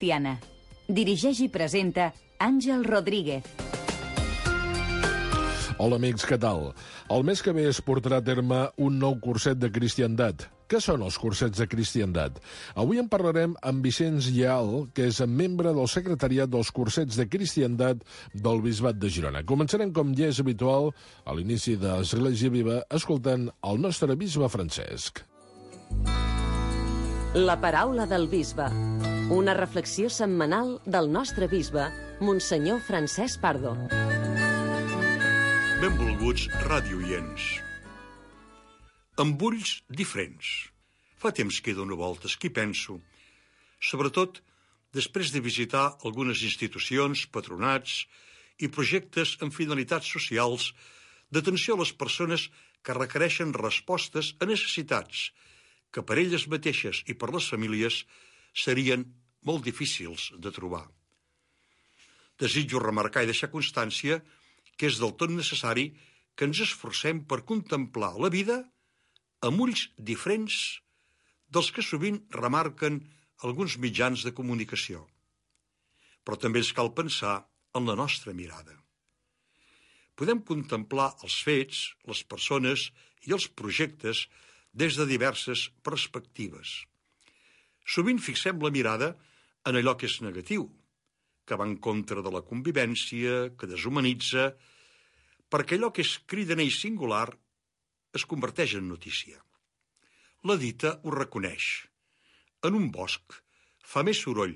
Tiana. Dirigeix i presenta Àngel Rodríguez. Hola, amics, què tal? El mes que ve es portarà a terme un nou curset de cristiandat. Què són els cursets de cristiandat? Avui en parlarem amb Vicenç Lleal, que és membre del secretariat dels cursets de cristiandat del Bisbat de Girona. Començarem, com ja és habitual, a l'inici d'Església Viva, escoltant el nostre bisbe Francesc. La paraula del bisbe. Una reflexió setmanal del nostre bisbe, Monsenyor Francesc Pardo. Benvolguts radioients. Amb ulls diferents. Fa temps que dono voltes, que hi penso. Sobretot després de visitar algunes institucions, patronats i projectes amb finalitats socials d'atenció a les persones que requereixen respostes a necessitats que per elles mateixes i per les famílies serien molt difícils de trobar. Desitjo remarcar i deixar constància que és del tot necessari que ens esforcem per contemplar la vida amb ulls diferents dels que sovint remarquen alguns mitjans de comunicació. Però també ens cal pensar en la nostra mirada. Podem contemplar els fets, les persones i els projectes des de diverses perspectives. Sovint fixem la mirada en allò que és negatiu, que va en contra de la convivència, que deshumanitza, perquè allò que és cridaner i singular es converteix en notícia. La dita ho reconeix. En un bosc fa més soroll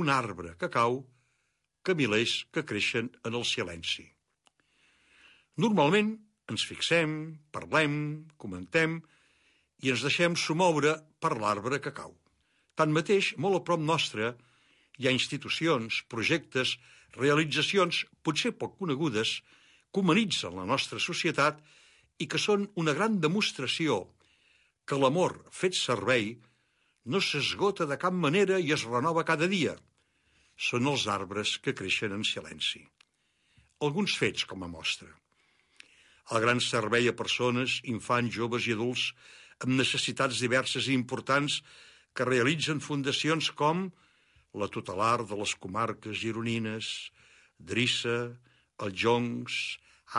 un arbre que cau que milers que creixen en el silenci. Normalment ens fixem, parlem, comentem i ens deixem somoure per l'arbre que cau. Tanmateix, molt a prop nostre, hi ha institucions, projectes, realitzacions potser poc conegudes que humanitzen la nostra societat i que són una gran demostració que l'amor fet servei no s'esgota de cap manera i es renova cada dia. Són els arbres que creixen en silenci. Alguns fets com a mostra. El gran servei a persones, infants, joves i adults amb necessitats diverses i importants que realitzen fundacions com la tutelar de les comarques gironines, Drissa, els Joncs,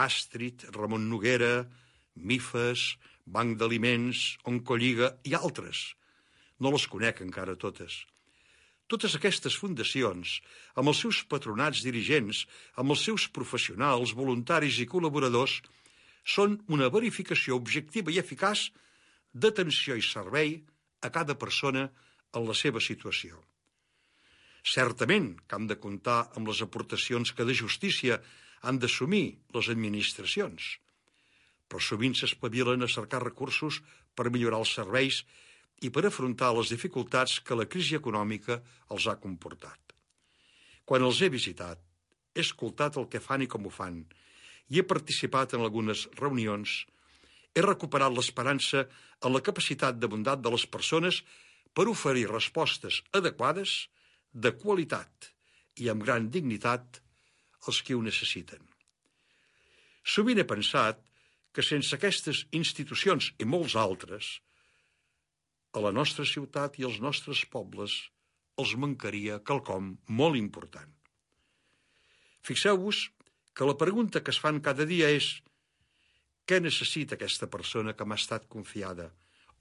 Àstrit, Ramon Noguera, Mifes, Banc d'Aliments, Oncolliga i altres. No les conec encara totes. Totes aquestes fundacions, amb els seus patronats dirigents, amb els seus professionals, voluntaris i col·laboradors, són una verificació objectiva i eficaç d'atenció i servei a cada persona en la seva situació. Certament que hem de comptar amb les aportacions que de justícia han d'assumir les administracions, però sovint s'espavilen a cercar recursos per millorar els serveis i per afrontar les dificultats que la crisi econòmica els ha comportat. Quan els he visitat, he escoltat el que fan i com ho fan, i he participat en algunes reunions, he recuperat l'esperança en la capacitat de bondat de les persones per oferir respostes adequades, de qualitat i amb gran dignitat als qui ho necessiten. Sovint he pensat que sense aquestes institucions i molts altres, a la nostra ciutat i als nostres pobles els mancaria quelcom molt important. Fixeu-vos que la pregunta que es fan cada dia és què necessita aquesta persona que m'ha estat confiada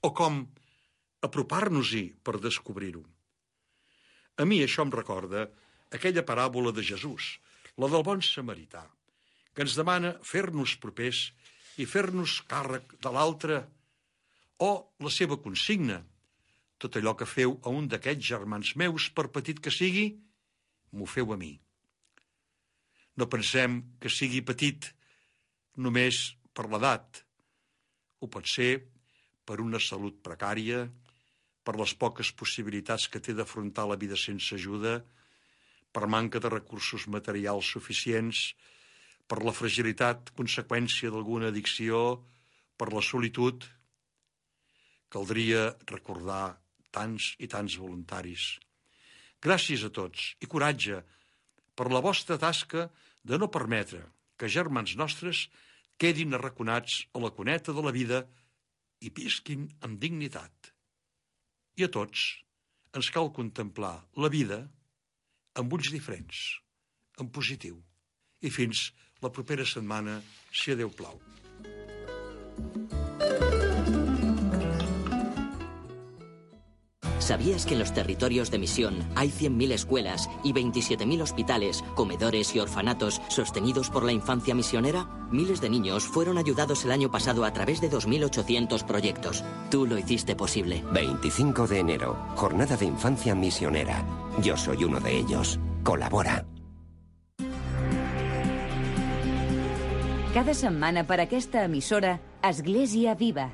o com apropar-nos-hi per descobrir-ho. A mi això em recorda aquella paràbola de Jesús, la del bon samarità, que ens demana fer-nos propers i fer-nos càrrec de l'altre, o la seva consigna, tot allò que feu a un d'aquests germans meus, per petit que sigui, m'ho feu a mi. No pensem que sigui petit només per l'edat. Ho pot ser per una salut precària, per les poques possibilitats que té d'afrontar la vida sense ajuda, per manca de recursos materials suficients, per la fragilitat conseqüència d'alguna addicció, per la solitud. Caldria recordar tants i tants voluntaris. Gràcies a tots i coratge per la vostra tasca de no permetre que germans nostres quedin arraconats a la cuneta de la vida i visquin amb dignitat. I a tots ens cal contemplar la vida amb ulls diferents, en positiu. I fins la propera setmana, si Déu plau. ¿Sabías que en los territorios de misión hay 100.000 escuelas y 27.000 hospitales, comedores y orfanatos sostenidos por la infancia misionera? Miles de niños fueron ayudados el año pasado a través de 2.800 proyectos. Tú lo hiciste posible. 25 de enero, Jornada de Infancia Misionera. Yo soy uno de ellos. Colabora. Cada setmana per aquesta emissora, Església Viva.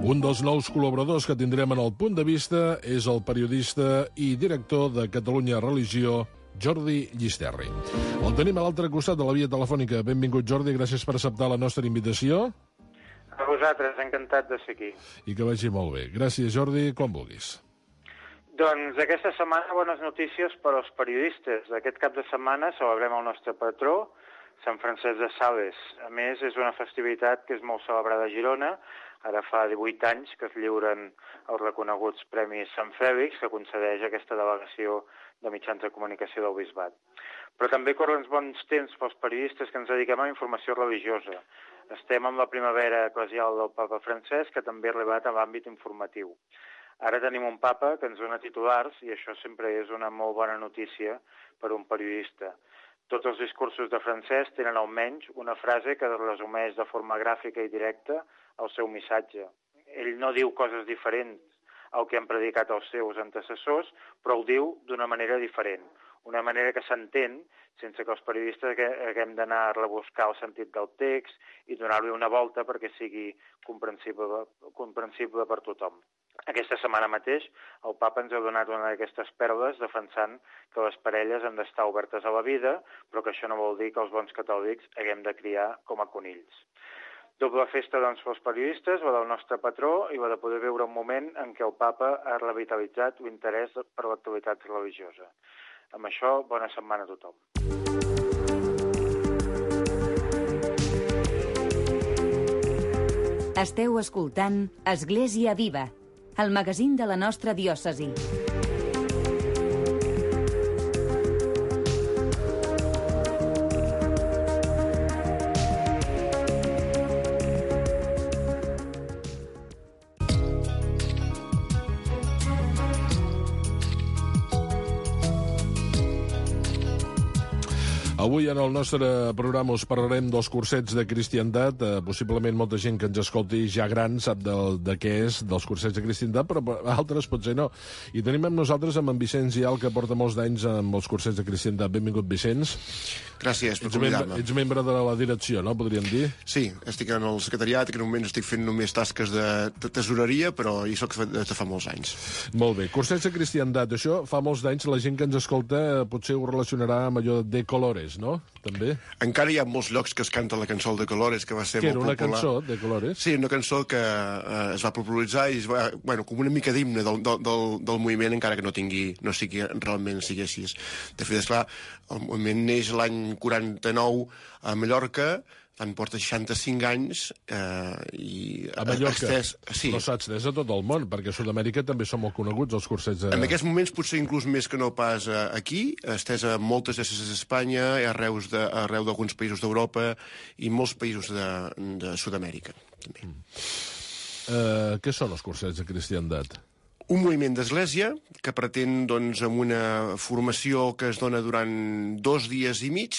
Un dels nous col·laboradors que tindrem en el Punt de Vista és el periodista i director de Catalunya Religió, Jordi Llisterri. El tenim a l'altre costat de la via telefònica. Benvingut, Jordi, gràcies per acceptar la nostra invitació. A vosaltres, encantat de ser aquí. I que vagi molt bé. Gràcies, Jordi, quan vulguis. Doncs aquesta setmana bones notícies per als periodistes. Aquest cap de setmana celebrem el nostre patró, Sant Francesc de Sales. A més, és una festivitat que és molt celebrada a Girona. Ara fa 18 anys que es lliuren els reconeguts Premis Sant Fèlix, que concedeix aquesta delegació de mitjans de comunicació del Bisbat. Però també corren uns bons temps pels periodistes que ens dediquem a la informació religiosa. Estem amb la primavera eclesial del papa Francesc, que també ha arribat a l'àmbit informatiu. Ara tenim un papa que ens dona titulars, i això sempre és una molt bona notícia per un periodista. Tots els discursos de Francesc tenen almenys una frase que resumeix de forma gràfica i directa el seu missatge. Ell no diu coses diferents al que han predicat els seus antecessors, però ho diu d'una manera diferent, una manera que s'entén sense que els periodistes haguem d'anar a rebuscar el sentit del text i donar-li una volta perquè sigui comprensible per tothom. Aquesta setmana mateix el papa ens ha donat una d'aquestes perles defensant que les parelles han d'estar obertes a la vida, però que això no vol dir que els bons catòlics haguem de criar com a conills. Doble festa, doncs, pels periodistes, la del nostre patró i la de poder veure un moment en què el papa ha revitalitzat l'interès per l'actualitat religiosa. Amb això, bona setmana a tothom. Esteu escoltant Església Viva, el magazín de la nostra diòcesi. Avui en el nostre programa us parlarem dels cursets de cristiandat. Possiblement molta gent que ens escolti ja gran sap de què és, dels cursets de cristiandat, però altres potser no. I tenim amb nosaltres amb en Vicenç Gial, que porta molts d'anys amb els cursets de cristiandat. Benvingut, Vicenç. Gràcies per convidar-me. Ets membre de la direcció, no? Podríem dir? Sí, estic en el secretariat, que en un moment estic fent només tasques de tesoreria, però hi soc de fa molts anys. Molt bé. Cursets de cristiandat, això fa molts d'anys. La gent que ens escolta potser ho relacionarà amb allò de Colores, no? També? Encara hi ha molts llocs que es canta la cançó de Colores, que va ser molt popular. Que era una cançó de Colores? Sí, una cançó que es va popularitzar i es va, com una mica d'himne del moviment, encara que no sigui realment sigui així. De fet, esclar, el moviment neix l'any 49 a Mallorca, tant porta 65 anys i... A Mallorca? Sí. Però s'ha estès a tot el món, perquè a Sud-amèrica també són molt coneguts els cursets de... En aquests moments potser inclús més que no pas aquí, estès a moltes diòcesis d'Espanya, arreu d'alguns països d'Europa i molts països de Sud-amèrica. També. Què són els cursets de cristiandat? Un moviment d'església que pretén, doncs, amb una formació que es dona durant 2 dies i mig,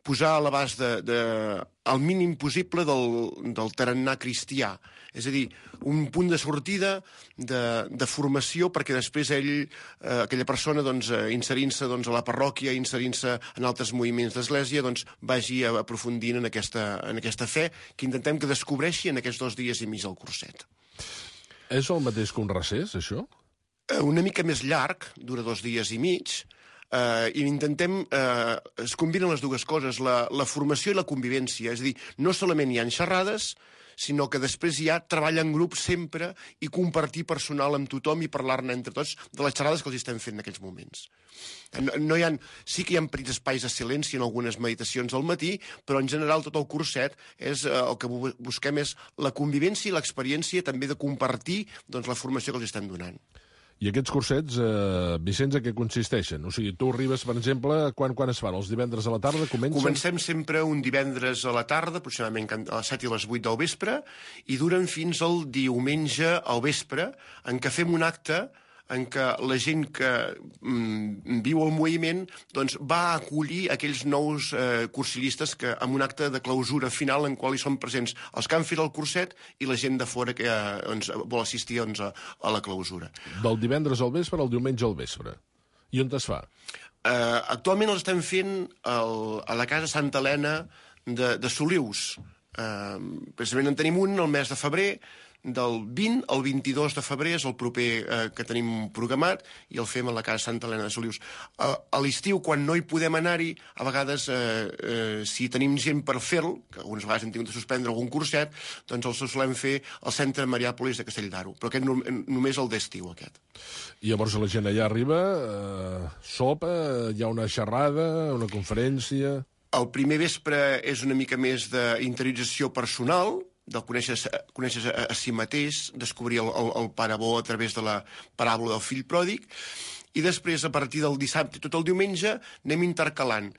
posar a l'abast el mínim possible del tarannà cristià. És a dir, un punt de sortida de formació perquè després aquella persona, doncs, inserint-se a la parròquia, inserint-se en altres moviments d'església, doncs, vagi aprofundint en aquesta fe que intentem que descobreixi en aquests 2 dies i mig del curset. És el mateix que un recés, això? Una mica més llarg, dura 2 dies i mig, i intentem... es combinen les dues coses, la formació i la convivència. És a dir, no solament hi ha xerrades, sinó que després hi ha treball en grup sempre i compartir personal amb tothom i parlar-ne entre tots de les xerrades que els estem fent en aquells moments. Sí que hi ha petits espais de silenci en algunes meditacions al matí, però en general tot el curset el que busquem és la convivència i l'experiència també de compartir la formació que els estem donant. I aquests cursets, Vicenç, a què consisteixen? O sigui, tu arribes, per exemple, quan es fan? Els divendres a la tarda comencen? Comencem sempre un divendres a la tarda, aproximadament a les 7 i les 8 del vespre, i duren fins al diumenge al vespre, en què fem un acte en què la gent que viu el moviment va acollir aquells nous cursillistes que amb un acte de clausura final en qual hi són presents els que han fet el curset i la gent de fora que vol assistir a la clausura. Del divendres al vespre al diumenge al vespre. I on es fa? Actualment els estem fent a la Casa Santa Helena de Solius. Precisament en tenim un el mes de febrer, del 20 al 22 de febrer és el proper que tenim programat i el fem a la Casa Santa Helena de Solius. A l'estiu, quan no hi podem anar-hi, a vegades, si tenim gent per fer-lo, que algunes vegades hem tingut de suspendre algun curset, doncs el solem fer al Centre Mariàpolis de Castelldaro, però aquest només el d'estiu, aquest. I llavors la gent allà arriba, sopa, hi ha una xerrada, una conferència... El primer vespre és una mica més d'interiorització personal, de conèixer a si mateix, descobrir el pare bo a través de la paràbola del fill pròdig, i després, a partir del dissabte i tot el diumenge, anem intercalant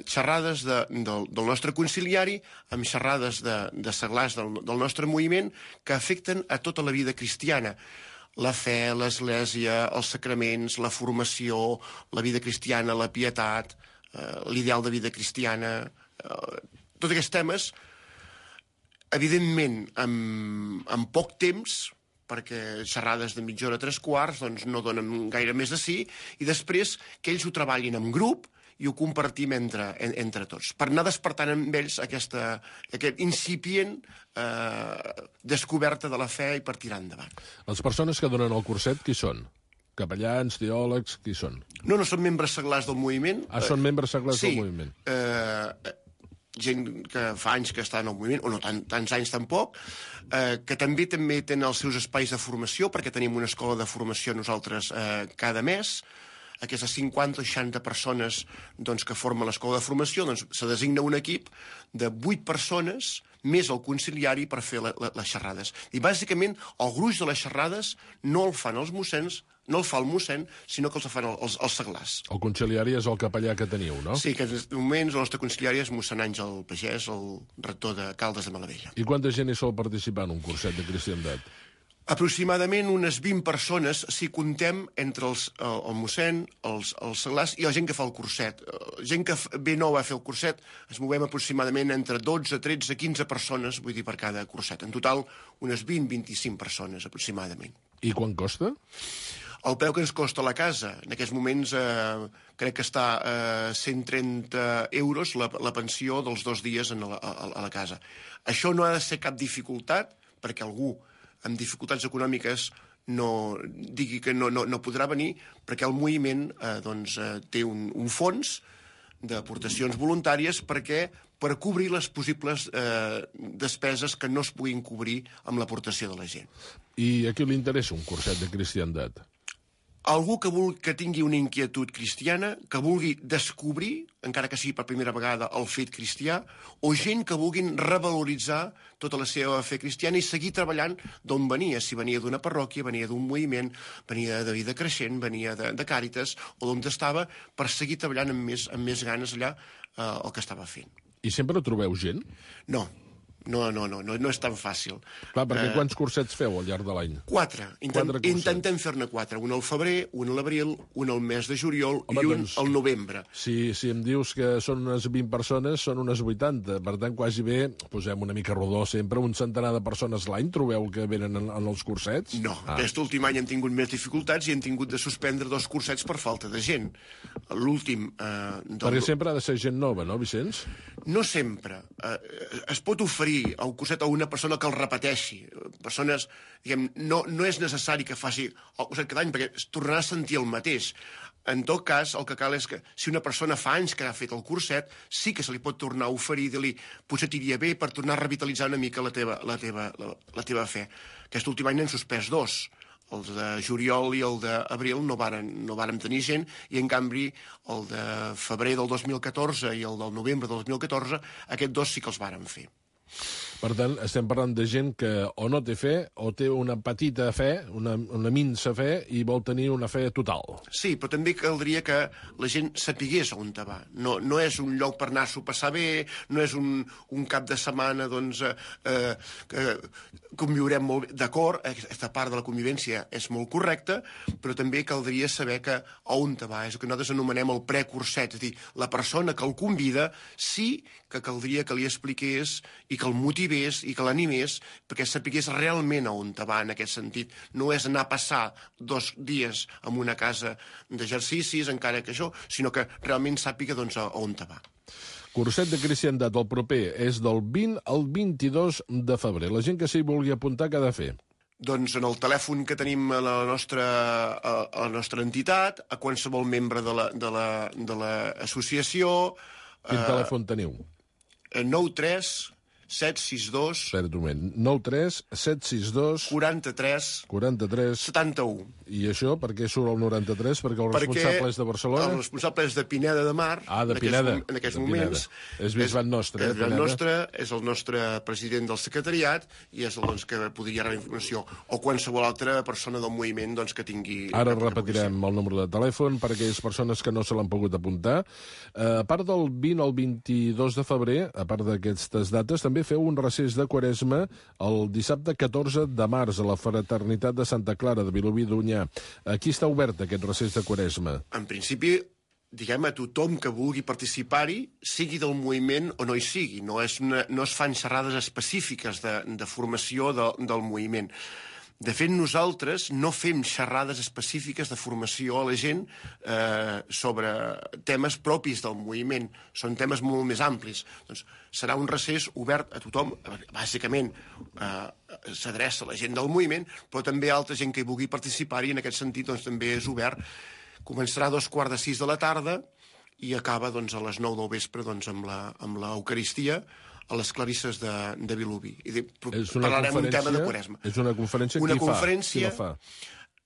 xerrades del nostre conciliari amb xerrades de seglars del nostre moviment que afecten a tota la vida cristiana. La fe, l'església, els sacraments, la formació, la vida cristiana, la pietat, l'ideal de vida cristiana... Tots aquests temes, evidentment, en poc temps, perquè xerrades de mitja hora, 3/4, doncs no donen gaire més de sí, i després que ells ho treballin en grup i ho compartim entre tots, per anar despertant amb ells aquest incipient descoberta de la fe i per tirar endavant. Les persones que donen el curset, qui són? Capellans, teòlegs, qui són? No són membres seglars del moviment. Són membres seglars del moviment. Gent que fa anys que està en el moviment, o no tants anys tampoc, que també tenen els seus espais de formació, perquè tenim una escola de formació nosaltres cada mes. Aquestes 50 o 60 persones que formen l'escola de formació, se designa un equip de 8 persones més el conciliari per fer les xerrades. I bàsicament el gruix de les xerrades no el fan els mossens, no el fa el mossèn, sinó que els fan els seglars. El conciliari és el capellà que teniu, no? Sí, que en aquest moment el nostre conciliari és mossèn Àngel Pagès, el rector de Caldes de Malavella. I quanta gent hi sol participar en un curset de cristiandat? Aproximadament unes 20 persones, si contem entre el mossèn, els seglars i la gent que fa el curset. Gent que ve nova a fer el curset, ens movem aproximadament entre 12, 13, 15 persones, vull dir, per cada curset. En total, unes 20-25 persones, aproximadament. I quan costa? El preu que ens costa la casa, en aquests moments crec que està a 130 euros la pensió dels 2 dies a la casa. Això no ha de ser cap dificultat, perquè algú amb dificultats econòmiques digui que no podrà venir, perquè el moviment té un fons d'aportacions voluntàries per cobrir les possibles despeses que no es puguin cobrir amb l'aportació de la gent. I a qui li interessa un curset de cristiandat? Algú que tingui una inquietud cristiana, que vulgui descobrir, encara que sigui per primera vegada, el fet cristià, o gent que vulguin revaloritzar tota la seva fe cristiana i seguir treballant d'on venia. Si venia d'una parròquia, venia d'un moviment, venia de Vida Creixent, venia de Càritas, o d'on estava, per seguir treballant amb més ganes allà el que estava fent. I sempre trobeu gent? No és tan fàcil. Clar, perquè quants cursets feu al llarg de l'any? 4. Intentem fer-ne 4. Un al febrer, un a l'abril, un al mes de juliol i un al novembre. Si em dius que són unes 20 persones, són unes 80. Per tant, quasi bé, posem una mica rodó sempre, un centenar de persones l'any trobeu que venen en els cursets? No, aquest últim any hem tingut més dificultats i hem tingut de suspendre 2 cursets per falta de gent. L'últim... Perquè sempre ha de ser gent nova, no, Vicenç? No sempre. Es pot oferir el curset a una persona que el repeteixi. Persones, diguem, no és necessari que faci el curset cada any perquè es tornarà a sentir el mateix. en tot cas, el que cal és que si una persona fa anys que ha fet el curset, sí que se li pot tornar a oferir, dir-li, potser t'iria bé per tornar a revitalitzar una mica la teva fe. Aquest últim any n'hem suspès 2. Els de juliol i el d'abril no vàrem tenir gent, i en canvi el de febrer del 2014 i el del novembre del 2014, aquests 2 sí que els vàrem fer. Per tant, estem parlant de gent que o no té fe, o té una petita fe, una minsa fe, i vol tenir una fe total. Sí, però també caldria que la gent sapigués on va. No és un lloc per anar-s'ho a passar bé, no és un cap de setmana, doncs, que conviurem molt bé. D'acord, aquesta part de la convivència és molt correcta, però també caldria saber que on va. És el que nosaltres anomenem el precurset, és a dir, la persona que el convida sí que caldria que li expliqués i que el motivés i que l'animés perquè sapigués realment a on va en aquest sentit. No és anar a passar 2 dies en una casa d'exercicis, encara que això, sinó que realment sàpiga doncs, a on va. Curset de Cristiandat, el proper, és del 20 al 22 de febrer. La gent que s'hi vulgui apuntar, què ha de fer? Doncs en el telèfon que tenim a la nostra entitat, a qualsevol membre de l'associació... Quin telèfon teniu? 93 762... Espera't un moment. 93 762... 43 71. I això, per què surt el 93? Perquè el responsable és de Barcelona? El responsable és de Pineda de Mar. Ah, de Pineda. En aquests moments. És bisbat nostre, És bisbat nostre, és el nostre president del secretariat i és el que podria rebre informació. O qualsevol altra persona del moviment que tingui... Ara repetirem el número de telèfon per a aquelles persones que no se l'han pogut apuntar. A part del 20 al 22 de febrer, a part d'aquestes dates, també feu un recés de Quaresma el dissabte 14 de març a la Fraternitat de Santa Clara de Vilobí d'Onyar. Aquí està obert aquest recés de Quaresma? En principi, diguem, a tothom que vulgui participar-hi, sigui del moviment o no hi sigui. No es fan xerrades específiques de formació del moviment. De fet, nosaltres no fem xerrades específiques de formació a la gent sobre temes propis del moviment. Són temes molt més amplis. Doncs serà un recés obert a tothom. Bàsicament s'adreça a la gent del moviment, però també a altra gent que hi vulgui participar-hi. En aquest sentit, doncs, també és obert. Començarà a 5:45 de la tarda i acaba doncs, a les 9 del vespre doncs, amb l'Eucaristia a les Clarisses de Vilobí. Parlarem un tema de Quaresma. És una conferència, qui la fa?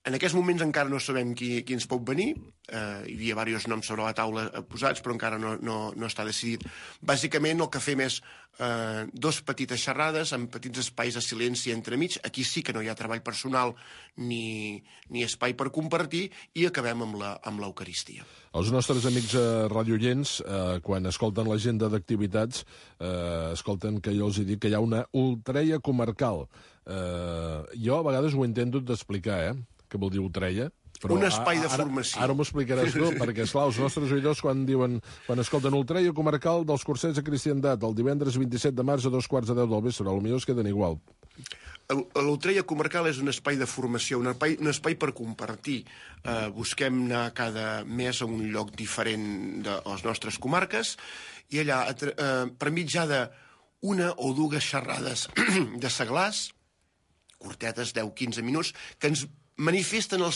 En aquests moments encara no sabem qui ens pot venir. Hi havia diversos noms sobre la taula posats, però encara no està decidit. Bàsicament el que fem és 2 petites xerrades amb petits espais de silenci entremig. Aquí sí que no hi ha treball personal ni espai per compartir, i acabem amb l'Eucaristia. Els nostres amics radioients, quan escolten l'agenda d'activitats, escolten que jo els dic que hi ha una ultreia comarcal. Jo a vegades ho intento d'explicar, què vol dir ultreia? Però un espai de formació. Ara m'ho explicaràs tu, perquè, esclar, els nostres oïdors quan escolten ultreia comarcal dels cursets de Cristiandat, el divendres 27 de març a 2:15 del vespre, potser es queden igual. L'ultreia comarcal és un espai de formació, un espai per compartir. Busquem anar cada mes a un lloc diferent de les nostres comarques, i allà, per mitjà d'una o 2 xerrades de seglars, curtetes, 10-15 minuts, que ens manifesten la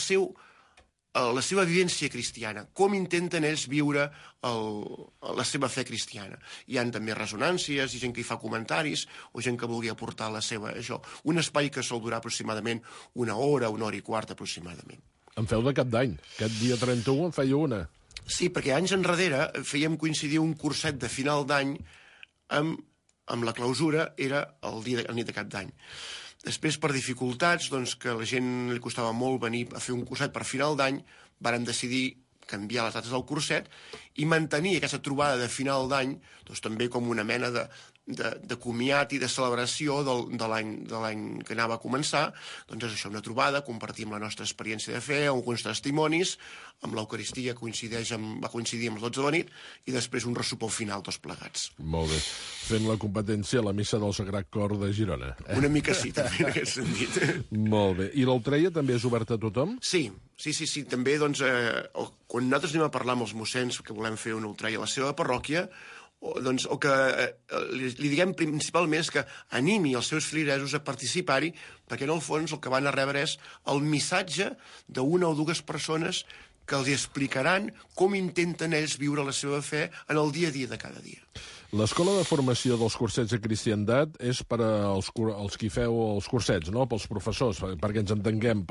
seva vivència cristiana, com intenten ells viure la seva fe cristiana. Hi ha també ressonàncies, i gent que hi fa comentaris, o gent que vulgui aportar la seva... Un espai que sol durar aproximadament 1 hora, 1 hora i quart aproximadament. En feu de cap d'any. Aquest dia 31 en feia una. Sí, perquè anys enrere fèiem coincidir un curset de final d'any amb la clausura, era el nit de cap d'any. Després, per dificultats, doncs, que a la gent li costava molt venir a fer un curset per final d'any, vàrem decidir canviar les dates del curset i mantenir aquesta trobada de final d'any doncs, també com una mena de comiat i de celebració de l'any que anava a començar. Doncs és això, una trobada, compartim la nostra experiència de fe, alguns testimonis, amb l'Eucaristia va coincidir amb les 12 de la nit, i després un ressopó final, tots plegats. Molt bé. Fent la competència a la missa del Sagrat Cor de Girona. Una mica sí, també, en aquest sentit. Molt bé. I l'ultreia també és oberta a tothom? Sí. També, doncs, quan nosaltres anem a parlar amb els mossens que volem fer una ultreia a la seva parròquia, doncs, el que li diguem principalment és que animi els seus filiresos a participar-hi, perquè en el fons el que van a rebre és el missatge d'1 o 2 persones que els explicaran com intenten ells viure la seva fe en el dia a dia de cada dia. L'escola de formació dels cursets de cristiandat és per als qui feu els cursets, no? Pels professors, perquè ens entenguem.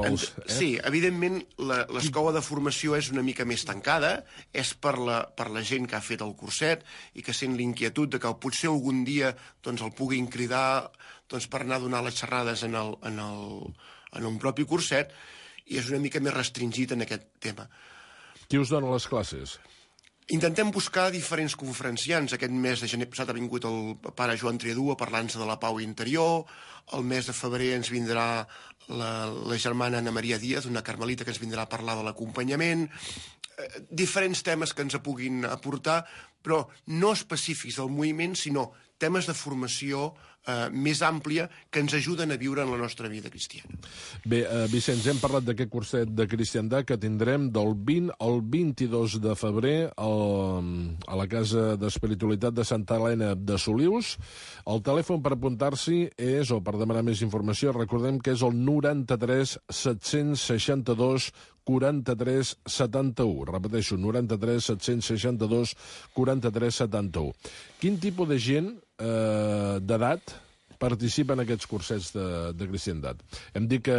Sí, evidentment l'escola de formació és una mica més tancada, és per la gent que ha fet el curset i que sent l'inquietud de que potser algun dia doncs, el puguin cridar per anar a donar les xerrades en un propi curset, i és una mica més restringit en aquest tema. Qui us dona les classes? Intentem buscar diferents conferenciants. Aquest mes de gener passat ha vingut el pare Joan Triadú a parlar-nos de la pau interior. El mes de febrer ens vindrà la germana Ana Maria Díaz, una carmelita, que ens vindrà a parlar de l'acompanyament. Diferents temes que ens puguin aportar, però no específics del moviment, sinó temes de formació més àmplia que ens ajuden a viure en la nostra vida cristiana. Bé, Vicenç, hem parlat d'aquest curset de cristiandat que tindrem del 20 al 22 de febrer a la Casa d'Espiritualitat de Santa Helena de Solius. El telèfon per apuntar-s'hi és, o per demanar més informació, recordem que és el 93 762 43 71. Repeteixo, 93 762 43 71. Quin tipus de gent d'edat participa en aquests cursets de cristiandat? Hem dit que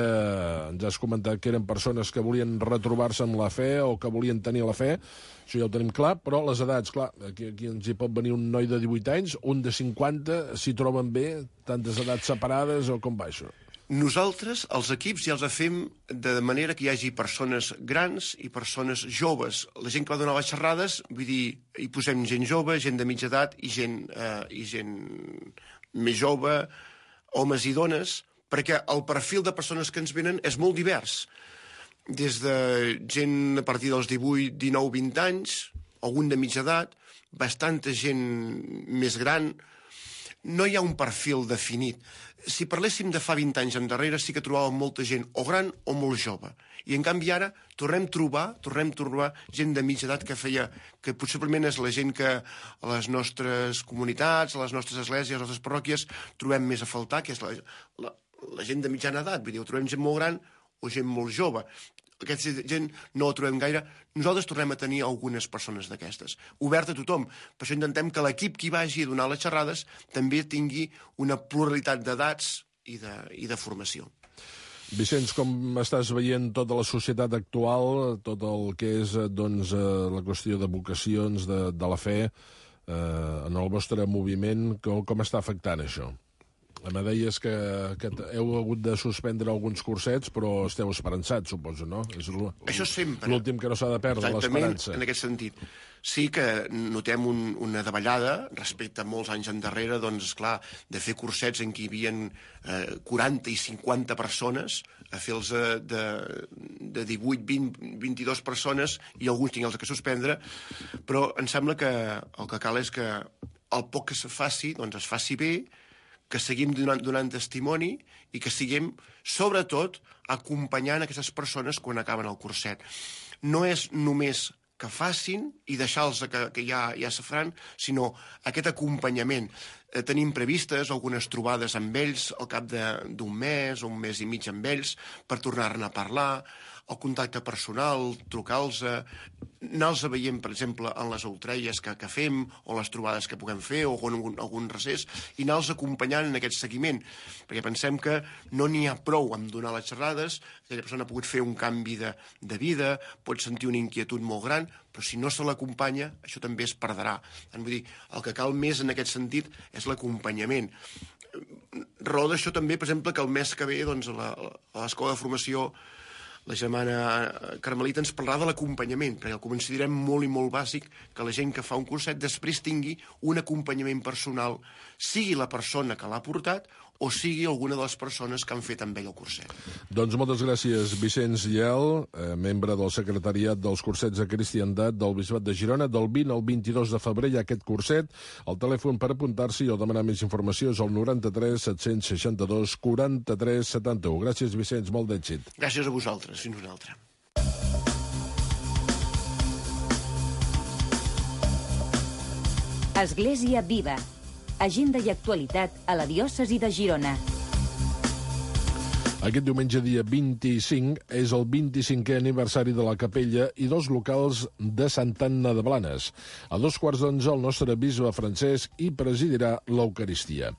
ens has comentat que eren persones que volien retrobar-se amb la fe o que volien tenir la fe, això ja ho tenim clar, però les edats, clar, aquí ens hi pot venir un noi de 18 anys, un de 50, s'hi troben bé, tantes edats separades, o com va això? Nosaltres, els equips, ja els fem de manera que hi hagi persones grans i persones joves. La gent que va donar les xerrades, vull dir, hi posem gent jove, gent de mitja edat i gent més jove, homes i dones, perquè el perfil de persones que ens venen és molt divers. Des de gent a partir dels 18, 19, 20 anys, algun de mitja edat, bastanta gent més gran. No hi ha un perfil definit. Si parléssim de fa 20 anys endarrere, sí que trobàvem molta gent o gran o molt jove. I en canvi ara tornem a trobar gent de mitja edat que possiblement és la gent que a les nostres comunitats, a les nostres esglésies, a les nostres parròquies trobem més a faltar, que és la gent de mitjana edat. Vull dir, o trobem gent molt gran o gent molt jove. Aquesta gent no la trobem gaire. Nosaltres tornem a tenir algunes persones d'aquestes. Obert a tothom. Per això intentem que l'equip que hi vagi a donar les xerrades també tingui una pluralitat d'edats i de formació. Vicenç, com estàs veient tota la societat actual, tot el que és la qüestió de vocacions, de la fe, en el vostre moviment, com està afectant això? Me deies que heu hagut de suspendre alguns cursets, però esteu esperançats, suposo, no? És això sempre. L'últim que no s'ha de perdre, l'esperança. En aquest sentit. Sí que notem una davallada respecte a molts anys endarrere, doncs, esclar, de fer cursets en què hi havia 40 i 50 persones, a fer-los de 18, 20, 22 persones, i alguns tinguin que suspendre, però em sembla que el que cal és que el poc que se faci, doncs es faci bé, que seguim donant testimoni i que siguem, sobretot, acompanyant aquestes persones quan acaben el curset. No és només que facin i deixar-los que ja se faran, sinó aquest acompanyament. Tenim previstes algunes trobades amb ells al cap d'un mes o un mes i mig amb ells per tornar-ne a parlar, el contacte personal, trucar-los, anar-los veient, per exemple, en les outrelles que fem, o les trobades que puguem fer, o algun recés, i anar-los acompanyant en aquest seguiment, perquè pensem que no n'hi ha prou amb donar les xerrades, aquella persona ha pogut fer un canvi de vida, pot sentir una inquietud molt gran, però si no se l'acompanya, això també es perdrà. Vull dir, el que cal més en aquest sentit és l'acompanyament. Raó d'això també, per exemple, que el mes que ve, doncs, a l'escola de formació, la germana Carmelita ens parlarà de l'acompanyament, perquè el considerem molt i molt bàsic que la gent que fa un curset després tingui un acompanyament personal, sigui la persona que l'ha portat o sigui alguna de les persones que han fet amb ell el curset. Doncs moltes gràcies, Vicenç Lleal, membre del secretariat dels cursets de cristiandat del Bisbat de Girona. Del 20 al 22 de febrer hi ha aquest curset. El telèfon per apuntar-s'hi o demanar més informació és el 93 762 43 71. Gràcies, Vicenç, molt d'èxit. Gràcies a vosaltres, fins una altra. Església Viva. Agenda i actualitat a la diòcesi de Girona. Aquest diumenge, dia 25, és el 25è aniversari de la capella i dels locals de Santa Anna de Blanes. A 2:15 el nostre bisbe Francesc hi presidirà l'Eucaristia.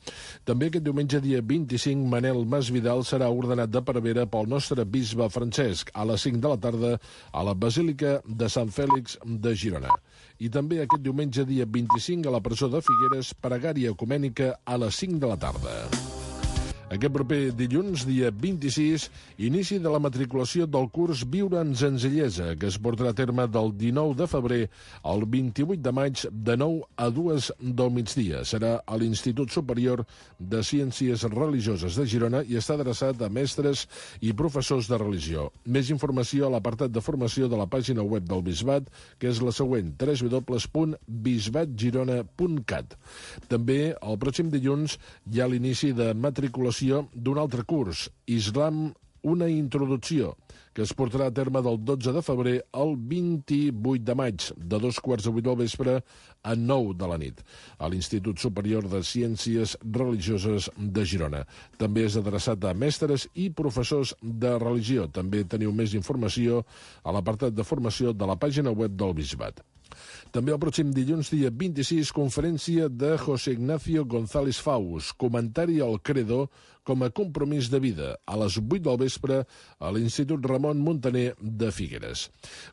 També aquest diumenge, dia 25, Manel Masvidal serà ordenat de prevere pel nostre bisbe Francesc a les 5 de la tarda a la Basílica de Sant Fèlix de Girona. I també aquest diumenge, dia 25, a la presó de Figueres, pregària ecumènica a les 5 de la tarda. Aquest proper dilluns, dia 26, inici de la matriculació del curs Viure en Senzillesa, que es portarà a terme del 19 de febrer al 28 de maig de 9 a 2 del migdia. Serà a l'Institut Superior de Ciències Religioses de Girona i està adreçat a mestres i professors de religió. Més informació a l'apartat de formació de la pàgina web del Bisbat, que és la següent, www.bisbatgirona.cat. També, el pròxim dilluns, hi ha l'inici de matriculació d'un altre curs, Islam, una introducció, que es portarà a terme del 12 de febrer al 28 de maig, de 2:15 del vespre a 9 de la nit, a l'Institut Superior de Ciències Religioses de Girona. També és adreçat a mestres i professors de religió. També teniu més informació a l'apartat de formació de la pàgina web del Bisbat. També el pròxim dilluns, dia 26, conferència de José Ignacio González Faus, comentari al Credo com a compromís de vida, a les 8 del vespre a l'Institut Ramon Muntaner de Figueres.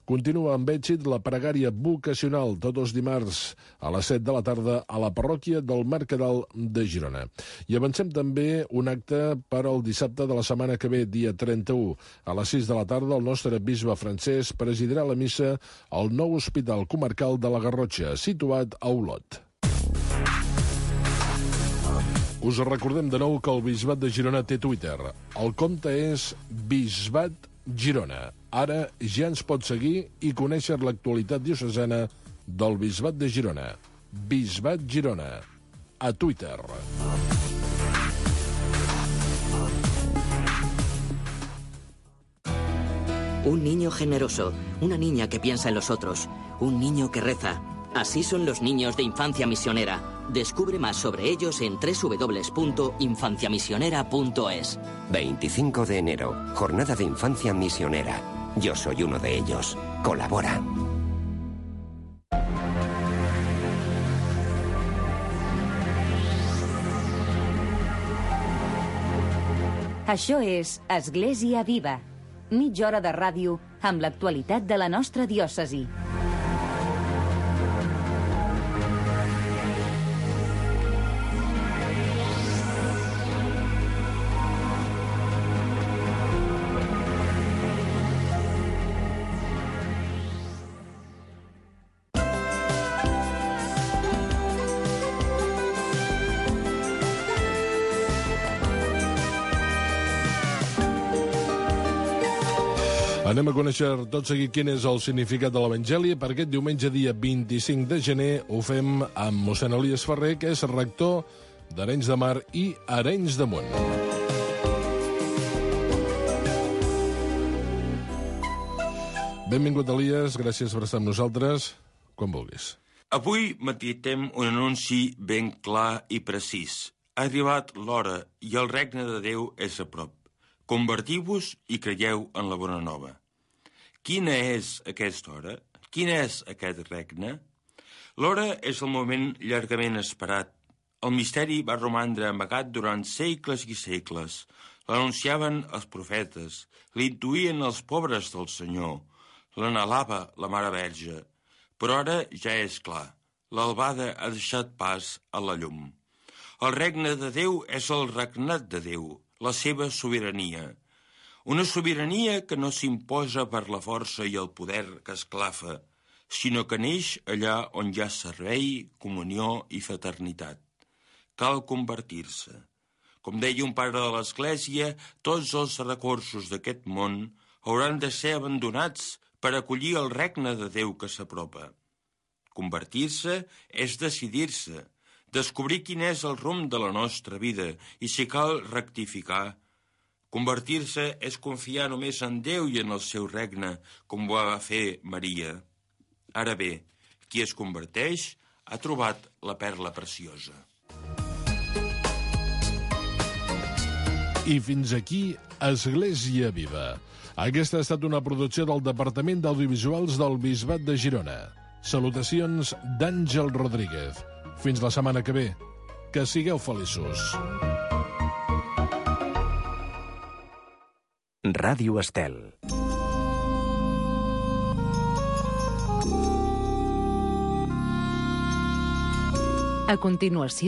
Continua amb èxit la pregària vocacional tots els dimarts a les 7 de la tarda a la parròquia del Mercadal de Girona. I avancem també un acte per al dissabte de la setmana que ve, dia 31. A les 6 de la tarda el nostre bisbe Francesc presidirà la missa al nou hospital comarcal de la Garrotxa, situat a Olot. Us recordem de nou que el Bisbat de Girona té Twitter. El compte és Bisbat Girona. Ara ja ens pot seguir i conèixer l'actualitat diocesana del Bisbat de Girona. Bisbat Girona. A Twitter. Un niño generoso, una niña que piensa en los otros, un niño que reza. Así son los niños de Infancia Misionera. Descubre más sobre ellos en www.infanciamisionera.es. 25 de enero, Jornada de Infancia Misionera. Yo soy uno de ellos. Colabora. Això és Església Viva. Mitja hora de ràdio amb l'actualitat de la nostra diòcesi. Anem a conèixer tot seguit quin és el significat de l'Evangeli. Per aquest diumenge, dia 25 de gener, ho fem amb mossèn Elies Ferrer, que és rector d'Arenys de Mar i Arenys de Munt. Benvingut, Elies, gràcies per estar amb nosaltres. Quan vulguis. Avui meditem un anunci ben clar i precís. Ha arribat l'hora i el regne de Déu és a prop. Convertiu-vos i creieu en la bona nova. Quina és aquesta hora? Quin és aquest regne? L'hora és el moment llargament esperat. El misteri va romandre amagat durant segles i segles. L'anunciaven els profetes, l'intuïen els pobres del Senyor, l'anhelava la Mare Verge. Però ara ja és clar, l'albada ha deixat pas a la llum. El regne de Déu és el regnat de Déu, la seva sobirania. Una sobirania que no s'imposa per la força i el poder que esclafa, sinó que neix allà on hi ha servei, comunió i fraternitat. Cal convertir-se. Com deia un pare de l'Església, tots els recursos d'aquest món hauran de ser abandonats per acollir el regne de Déu que s'apropa. Convertir-se és decidir-se, descobrir quin és el rumb de la nostra vida i si cal rectificar. Convertir-se és confiar només en Déu i en el seu regne, com ho va fer Maria. Ara bé, qui es converteix ha trobat la perla preciosa. I fins aquí Església Viva. Aquesta ha estat una producció del Departament d'Audiovisuals del Bisbat de Girona. Salutacions d'Àngel Rodríguez. Fins la setmana que ve. Que sigueu feliços. Ràdio Estel. A continuació,